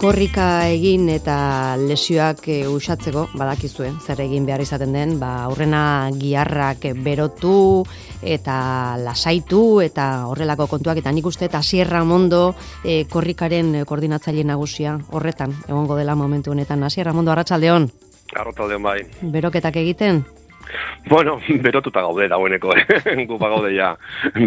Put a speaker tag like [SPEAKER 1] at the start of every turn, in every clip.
[SPEAKER 1] korrika egin eta lesioak usatzeko, badakizue, zer egin behar izaten den, aurrena giharrak berotu eta lasaitu eta horrelako kontuak, eta nik uste Asier Ramondo korrikaren koordinatzaile nagusia horretan, egongo dela momentu honetan. Asier Ramondo, arratsaldeon.
[SPEAKER 2] Arratsaldeon bai.
[SPEAKER 1] Beroketak egiten?
[SPEAKER 2] Bueno, berotuta gaude dagoeneko, gupa gaude ja,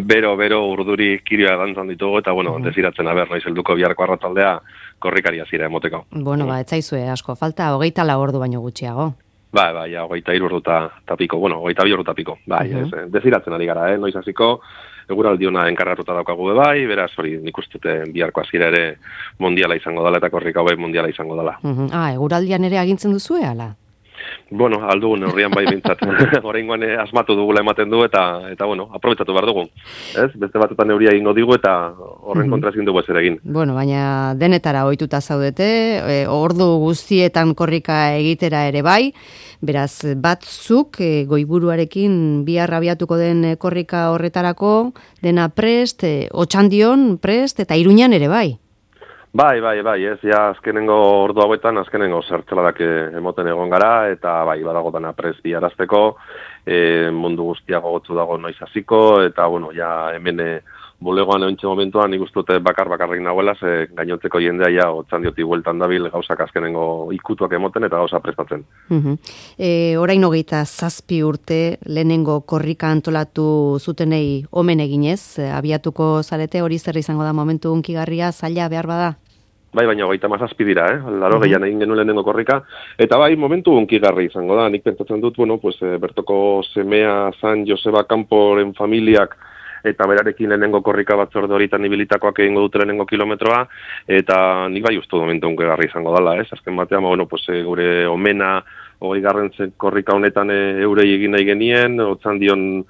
[SPEAKER 2] bero urduri kirioa dantzan ditugu, eta desiratzen aber, noiz helduko biharko arratsaldea korrikaria zira emoteko.
[SPEAKER 1] Bueno, ez zaizue asko, falta 24 ordu baino gutxiago.
[SPEAKER 2] Bai, 23 ordu eta piko, 22 ordu eta piko, bai, desiratzen ari gara, noiz hasiko, eguraldiona enkargatuta daukagu bai, beraz hori nik uste biharko hasiera ere mundiala izango dela, eta korrika bai mundiala izango dela.
[SPEAKER 1] Eguraldian ere agintzen duzue, ala?
[SPEAKER 2] Bueno, aldugun neurrian bai bintzat. Oraingoan asmatu dugula ematen du eta aprobetxatu behar dugu. Ez? Beste batetan neuria ingo digu eta horren kontra ezin dugu ezer egin.
[SPEAKER 1] Bueno, baina denetara ohituta zaudete, ordu guztietan korrika egitera ere bai, beraz batzuk goiburuarekin bihar abiatuko den korrika horretarako dena prest, Otxandion prest eta Iruñan ere bai.
[SPEAKER 2] Bai, ez, ja, azkenengo ordu hauetan, azkenengo zertzeladak emoten egon gara, eta bai, badago dana prez biharazteko, mundu guztia gogotzu dago noiz hasiko, eta, ja, hemen bulegoan eontxe momentuan, nik uste bakarrik nagoela, ze gainontzeko jendea ja, Otxandioti bueltan dabil gauzak azkenengo ikutuak emoten eta gauza prestatzen.
[SPEAKER 1] Orain 27 urte, lehenengo korrika antolatu zutenei omen eginez, abiatuko zarete, hori zer izango da momentu unkigarria, zaila behar bada?
[SPEAKER 2] Bai, baina 37 dira, laro gehian egin genuen lehenengo korrika, eta bai, momentu unkigarri izango da, nik pentsatzen dut, bertoko semea San Joseba Kanporen familiak, eta berarekin lehenengo korrika batzorde horitan ibilitakoak egingo dute lehenengo kilometroa, eta nik bai uste momentu unkigarri izango dela, azken batean, gure omena 20. korrika honetan eurei egin nahi genien, Otxandion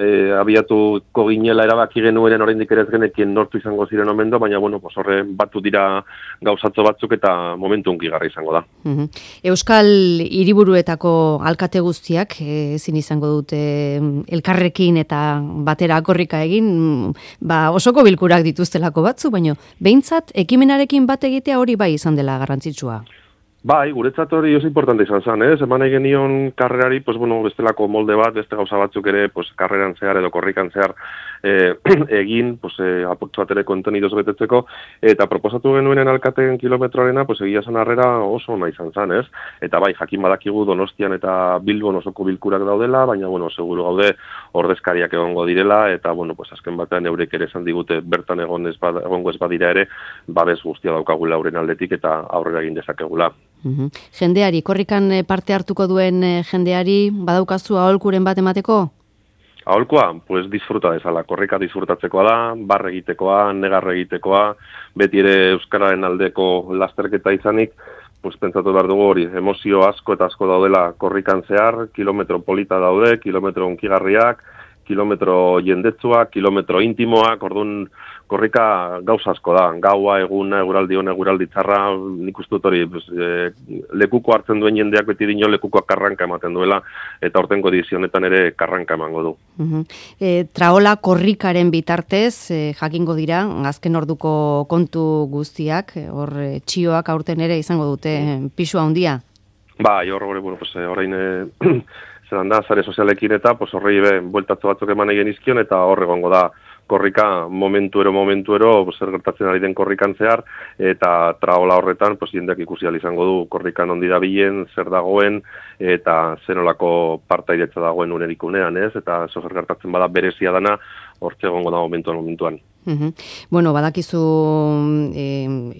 [SPEAKER 2] abiatuko ginela erabaki genuen oraindik ere ez genekien nortu izango ziren omendo, baina horre batu dira gauzatzo batzuk eta momentu unkigarri izango da.
[SPEAKER 1] Euskal hiriburuetako alkate guztiak ezin izango dute elkarrekin eta batera korrika egin, osoko bilkurak dituztelako batzu, baina behintzat ekimenarekin bat egitea hori bai izan dela garrantzitsua.
[SPEAKER 2] Bai, guretzat hori oso importante izan zen, eman egin nion karrerari, bestelako molde bat, beste gauza batzuk ere, karreran zehar edo korrikan zehar egin, apurtzu bat ere kontenidoz betetzeko, eta proposatu genuenen alkateen kilometroarena, egia zen harrera oso ona izan zen, Eta bai, jakin badakigu Donostian eta Bilbon osoko bilkurak daudela, baina, seguru gaude ordezkariak egongo direla, eta, azken batean eurek ere esan digute bertan egongo ez badira ere, babes guztia daukagula euren aldetik eta aurrera egin dezakegula.
[SPEAKER 1] Jendeari, korrikan parte hartuko duen jendeari, badaukazu aholkuren bat emateko?
[SPEAKER 2] Aholkoa, disfruta dezala, korrika disfrutatzekoa da, barre egitekoa, negarre egitekoa, beti ere euskararen aldeko lasterketa izanik, pentsatu behar dugu hori, emozio asko eta asko daudela korrikan zehar, kilometro polita daude, kilometro unkigarriak, kilometro jendetsuak, kilometro intimoak, orduan korrika gauza asko da, gaua, eguna, eguraldi hona, eguraldi txarra, nik uste dut hori, lekuko hartzen duen jendeak beti dino lekukoak karranka ematen duela, eta hortengo edizionetan ere karranka emango du.
[SPEAKER 1] Traola korrikaren bitartez, jakingo dira, azken orduko kontu guztiak, hor txioak aurten ere izango dute pisua handia?
[SPEAKER 2] Bai, orain zelan da, zare sozialekin eta horrei bueltatzo batzuk eman egin izkion, eta hor egongo da korrika momentuero, zer gertatzen ari den korrikan zehar, eta traola horretan, jendeak ikusi izango du korrikan ondi dabilen, zer dagoen, eta zenolako partaideetza dagoen unerikunean, eta zer gertatzen bada berezia dana, hortze egongo da momentuan.
[SPEAKER 1] Badakizu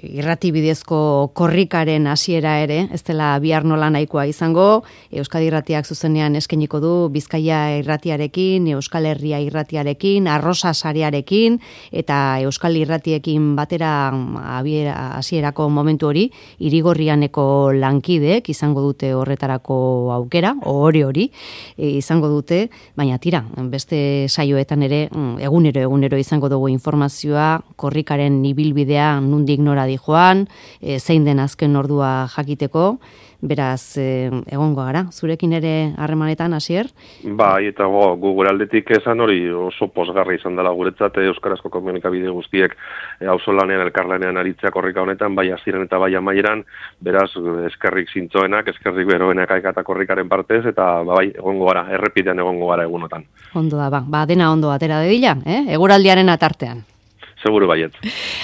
[SPEAKER 1] irrati bidezko korrikaren hasiera ere, ez dela bihar nola nahikoa izango, Euskadi Irratiak zuzenean eskainiko du Bizkaia Irratiarekin, Euskal Herria Irratiarekin, Arrosa Sarearekin eta Euskal Irratiekin batera hasierako momentu hori, Irigorrianeko lankideek izango dute horretarako aukera, hori izango dute, baina tira, beste saioetan ere egunero izango dugu informazioa informazioa, korrikaren ibilbidea nundik nora dijoan, zein den azken ordua jakiteko, beraz, egongo gara, zurekin ere harremanetan, Asier?
[SPEAKER 2] Bai, eta gu gure aldetik esan hori oso posgarri izan dela guretzat euskarazko komunikabide guztiek auzolanean, elkarlanean aritzea korrika honetan, bai hasieran eta bai amaieran, beraz, eskerrik zintzoenak, eskerrik beroenak aikata korrikaren partez, eta bai, egongo gara, errepidean egongo gara egunotan.
[SPEAKER 1] Ondo da, dena ondo atera dedila, eguraldiaren atartean.
[SPEAKER 2] Seguru baiet.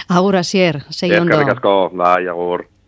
[SPEAKER 1] Agur, Asier, segi ondo.
[SPEAKER 2] Eskerrik asko, bai, agur.